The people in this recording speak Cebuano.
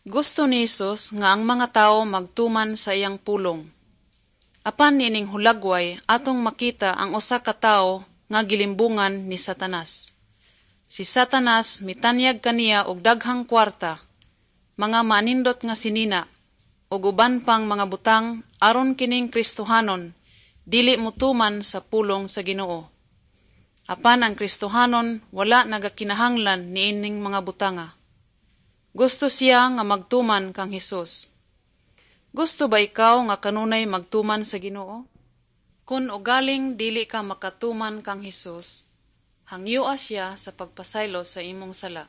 Gusto ni Hesus nga ang mga tawo magtuman sa iyang pulong. Apan niining hulagway, atong makita ang usa ka tawo nga gilimbungan ni Satanas. Si Satanas mitanyag kaniya og daghang kwarta, mga manindot nga sinina, ug uban pang mga butang aron kining Kristohanon dili motuman sa pulong sa Ginoo. Apan ang Kristohanon wala nagakinahanglan niining mga butanga. Gusto siya nga magtuman kang Hesus. Gusto ba ikaw nga kanunay magtuman sa Ginoo? Kun ugaling dili ka makatuman kang Hesus, hangyoa siya sa pagpasaylo sa imong sala.